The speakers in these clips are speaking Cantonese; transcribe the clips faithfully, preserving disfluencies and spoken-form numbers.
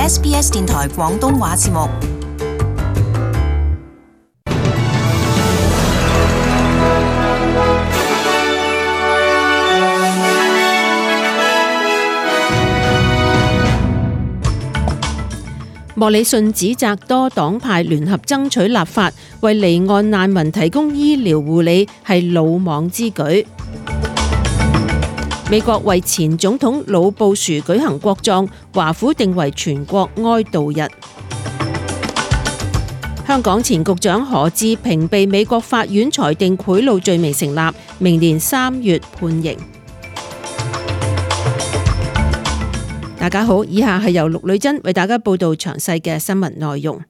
S B S 電台廣東話節目。莫里遜指責多黨派聯合爭取立法，為離岸難民提供醫療護理係魯莽之舉。美國為前總統老布殊舉行國葬，華府定為全國哀悼日。香港前局長何志平被美國法院裁定賄賂罪名成立，明年三月判刑。大家好，以下係由陸女珍為大家報道詳細嘅新聞內容。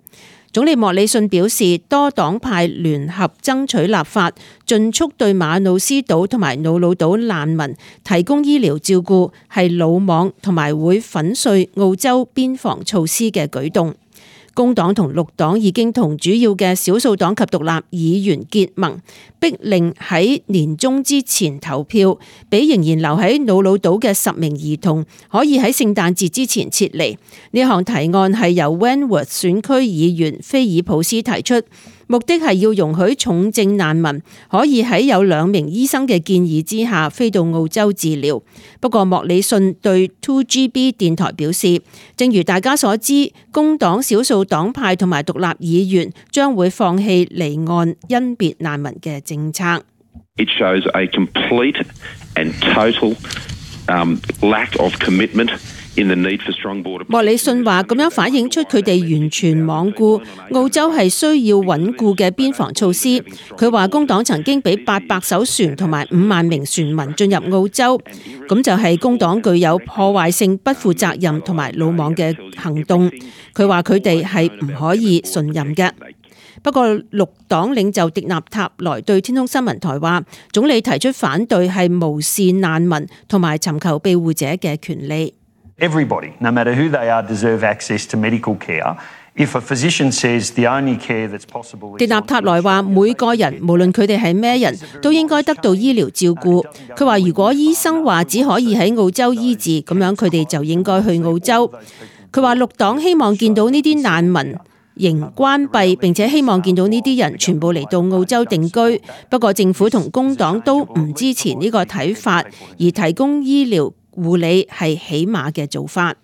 總理莫里遜表示，多黨派聯合爭取立法，盡速對馬努斯島同埋瑙魯島難民提供醫療照顧，係魯莽同埋會粉碎澳洲邊防措施嘅舉動。工黨同綠黨已經同主要嘅少數黨及獨立議員結盟，逼令喺年中之前投票，俾仍然留喺瑙魯島嘅十名兒童可以喺聖誕節之前撤離。呢項提案係由 Wentworth 選區議員菲爾普斯提出，目的係要容許重症難民可以喺有兩名醫生嘅建議之下飛到澳洲治療。不過莫里遜對 two G B 電台表示，正如大家所知，工黨少數黨派同埋獨立議員將會放棄離岸甄別難民嘅政策。It shows a complete and total um, lack of commitment.莫里遜話咁樣反映出佢哋完全罔顧澳洲係需要穩固嘅邊防措施。佢話工黨曾經俾八百艘船同埋五萬名船民進入澳洲，咁就係工黨具有破壞性、不負責任同埋魯莽嘅行動。佢話佢哋係唔可以信任嘅。不過綠黨領袖迪納塔萊對天空新聞台話，總理提出反對係無視難民同埋尋求庇護者嘅權利。Everybody, no matter who they are, deserve access to medical care. If a physician says the only care that's possible， 迪納塔萊話，每個人無論佢哋係咩人都應該得到醫療照顧。佢話如果醫生話只可以喺澳洲醫治，咁樣佢哋就應該去澳洲。佢話綠黨希望見到呢啲難民營關閉，並且希望見到呢啲人全部嚟到澳洲定居。不過政府同工黨都唔支持呢個睇法，而提供醫療護理係起碼嘅做法。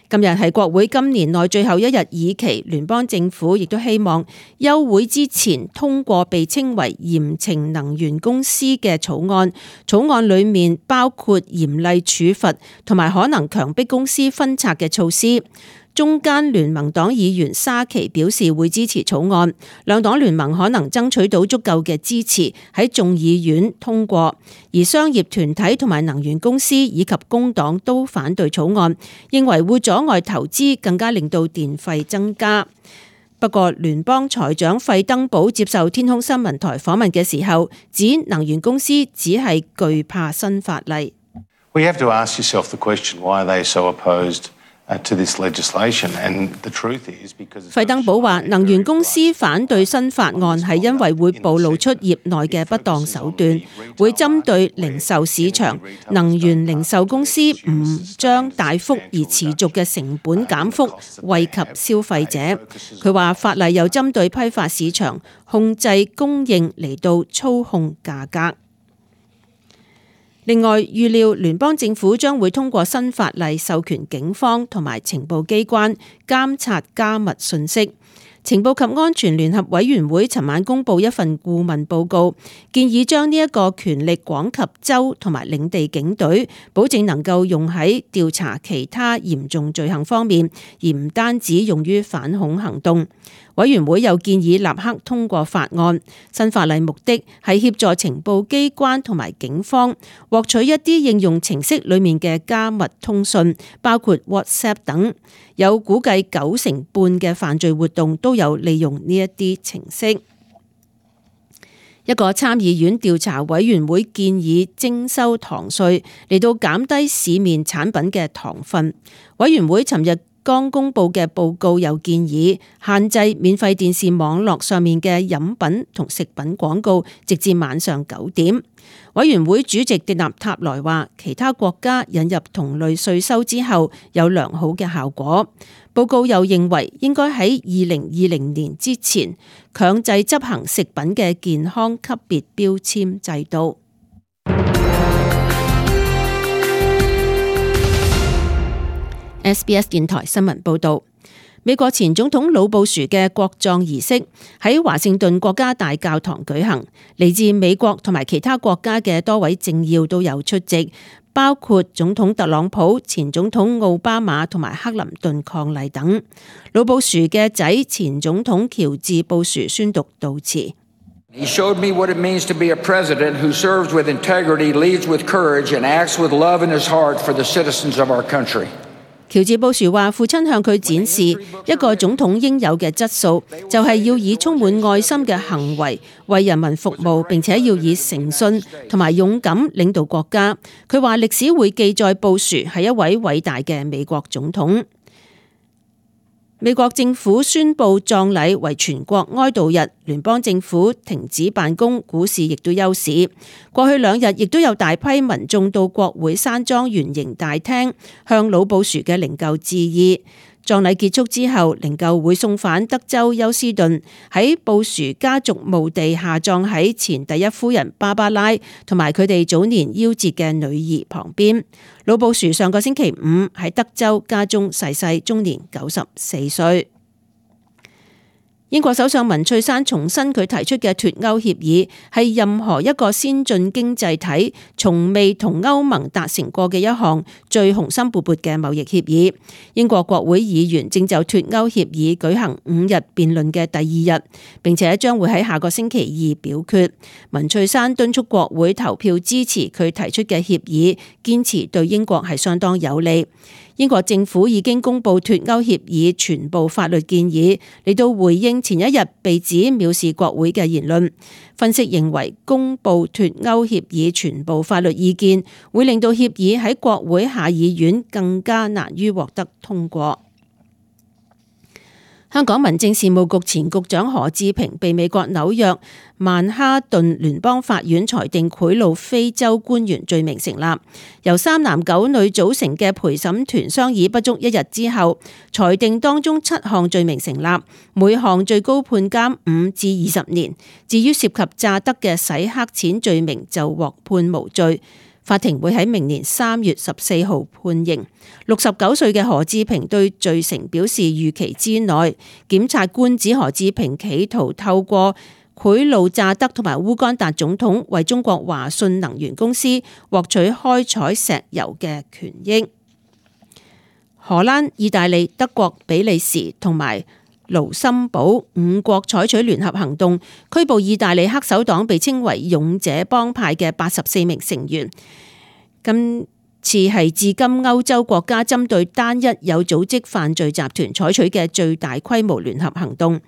今日係國會今年內最後一日議期，聯邦政府亦都希望休會之前通過被稱為嚴懲能源公司嘅草案。草案裡面包括嚴厲處罰同埋可能強迫公司分拆嘅措施。中間聯盟黨議員沙奇表示會支持草案，兩黨聯盟可能爭取到足夠嘅支持喺眾議院通過，而商業團體同埋能源公司以及工黨都反對草案，認為會阻礙投資，更加令到電費增加。不過聯邦財長費登堡接受天空新聞台訪問嘅時候，指能源公司只係懼怕新法例。We have to ask yourself the question, why are they so opposed?費登堡話，能源公司反對新法案係因為會暴露出業內嘅不當手段，會針對零售市場。能源零售公司唔將大幅而持續嘅成本減幅惠及消費者。佢話法例又針對批發市場控制供應嚟到操控價格。另外，預料聯邦政府將會通過新法例，授權警方同埋情報機關監察加密信息。情報及安全聯合委員會尋晚公布一份顧問報告，建議將呢一個權力廣及州同埋領地警隊，保證能夠用喺調查其他嚴重罪行方面，而唔單止用於反恐行動。委員會又建議立刻通過法案。新法例目的係協助情報機關同埋警方獲取一啲應用程式裡面嘅加密通訊，包括 WhatsApp 等。有估計九成半嘅犯罪活動都有利用呢一啲程式。一個參議院調查委員會建議徵收糖稅嚟到減低市面產品嘅糖分。委員會尋日剛公佈嘅報告又建議限制免費電視網絡上面嘅飲品同食品廣告，直至晚上九點。委員會主席迪納塔萊話，其他國家引入同類稅收之後有良好嘅效果。報告又認為應該喺二零二零年之前強制執行食品嘅健康級別標籤制度。S B S 電台新聞報道，美國前總統老布殊嘅國葬儀式喺華盛頓國家大教堂舉行，嚟自美國同埋其他國家嘅多位政要都有出席，包括總統特朗普、前總統奧巴馬同埋克林頓伉儷等。老布殊嘅仔前總統喬治布殊宣讀悼詞。He showed me what it means to be a president who serves with integrity, leads with courage, and acts with love in his heart for the citizens of our country. 喬治布殊話：父親向佢展示一個總統應有嘅質素，就係要以充滿愛心嘅行為為人民服務，並且要以誠信同埋勇敢領導國家。佢話歷史會記載布殊係一位偉大嘅美國總統。美國政府宣布葬禮為全國哀悼日，聯邦政府停止辦公，股市亦都休市。過去兩日亦都有大批民眾到國會山莊圓形大廳向老布殊嘅靈柩致意。葬禮結束之後，靈柩會送返德州休斯頓，喺布殊家族墓地下葬喺前第一夫人芭芭拉同埋佢哋早年夭折嘅女兒旁邊。老布殊上個星期五喺德州家中逝世，終年九十四歲。英國首相文翠珊重申佢提出嘅脫歐協議係任何一個先進經濟體從未同歐盟達成過嘅一項最雄心勃勃嘅貿易協議。英國國會議員正就脫歐協議舉行五日辯論嘅第二日，並且將會喺下個星期二表決。文翠珊敦促國會投票支持佢提出嘅協議，堅持對英國係相當有利。英國政府已經公布脫歐協議全部法律建議，嚟到回應前一日被指藐視國會嘅言論。分析認為，公布脫歐協議全部法律意見，會令到協議喺國會下議院更加難於獲得通過。香港民政事務局前局長何志平被美國紐約曼哈頓聯邦法院裁定賄賂非洲官員罪名成立，由三男九女組成嘅陪審團商議不足一日之後，裁定當中七項罪名成立，每項最高判監五至二十年。至於涉及詐得嘅洗黑錢罪名就獲判無罪。法庭會喺明年三月十四號判刑。六十九歲嘅何志平對罪成表示預期之內。檢察官指何志平企圖透過賄賂詐得同埋烏干達總統為中國華信能源公司獲取開採石油嘅權益。荷蘭、意大利、德國、比利時同埋盧森堡五國採取聯合行動，拘捕意大利黑手黨被稱為勇者幫派嘅八十四名成員。今次係至今歐洲國家針對單一有組織犯罪集團採取嘅最大規模聯合行動。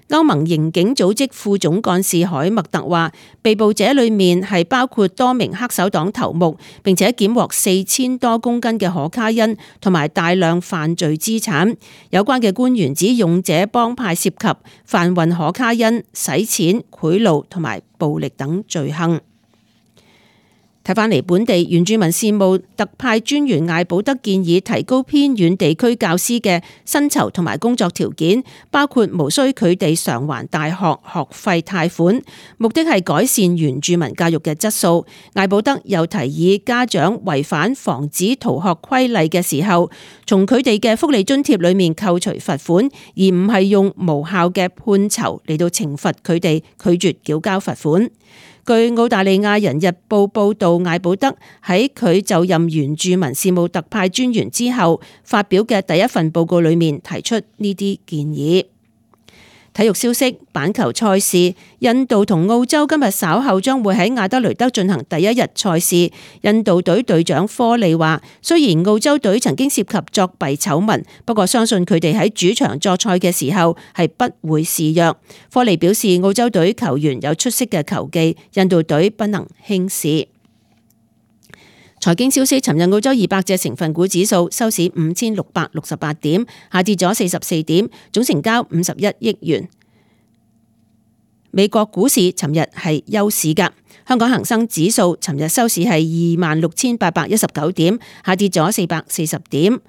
歐盟刑警組織副總幹事海默特話，被捕者裏面係包括多名黑手黨頭目，並且檢獲四千多公斤嘅可卡因同埋大量犯罪資產。有關嘅官員指勇者幫派涉及販運可卡因、洗錢、賄賂同埋暴力等罪行。睇返嚟本地原住民事務特派專員艾保德建議提高偏遠地區教師嘅薪酬同埋工作條件，包括無需佢哋償還大學學費貸款，目的係改善原住民教育嘅質素。艾保德又提議家長違反防止逃學規例嘅時候，從佢哋嘅福利津貼裏面扣除罰款，而唔係用無效嘅判囚嚟到懲罰佢哋拒絕繳交罰款。據澳大利亞人日報報道，艾保德喺佢就任原住民事務特派專員之後發表嘅第一份報告裏面提出呢啲建議。體育消息，板球賽事，印度同澳洲今日稍後將會喺亞德雷德進行第一日賽事。印度隊隊長科利話，雖然澳洲隊曾經涉及作弊醜聞，不過相信佢哋喺主場作賽嘅時候係不會示弱。科利表示，澳洲隊球員有出色嘅球技，印度隊不能輕視。財經消息，尋日澳洲二百隻成分股指數收市五千六百六十八點，下跌咗四十四點，總成交五十一億元。美國股市尋日係休市㗎，香港恒生指數尋日收市係二萬六千八百一十九點，下跌咗四百四十點。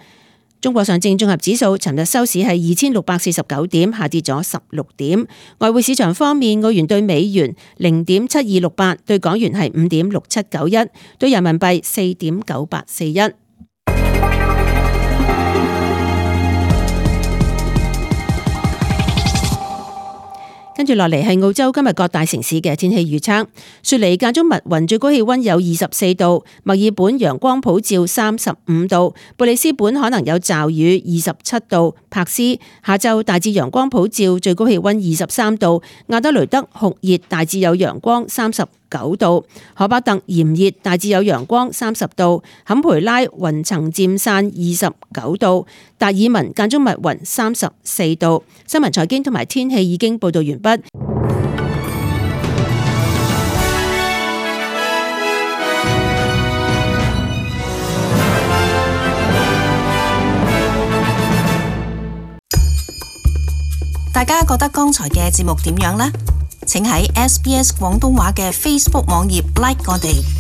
中國上證綜合指數尋日收市係二千六百四十九點，下跌咗十六點。外匯市場方面，澳元對美元零點七二六八，對港元係五點六七九一，對人民幣四點九八四一。跟住落嚟係澳洲今日各大城市嘅天氣預測。雪梨間中密雲，最高氣溫有二十四度；墨爾本陽光普照三十五度；布里斯本可能有驟雨二十七度；柏斯下晝大致陽光普照，最高氣溫二十三度；亞德雷德酷熱，大致有陽光三十九度；荷巴特炎熱，大致有陽光三十度；坎培拉雲層漸散二十九度；達爾文間中密雲三十四度。新聞財經同埋天氣已經報道完畢。大家覺得剛才嘅節目點樣呢？請喺 S B S 廣東話嘅 Facebook 網頁 like 我哋。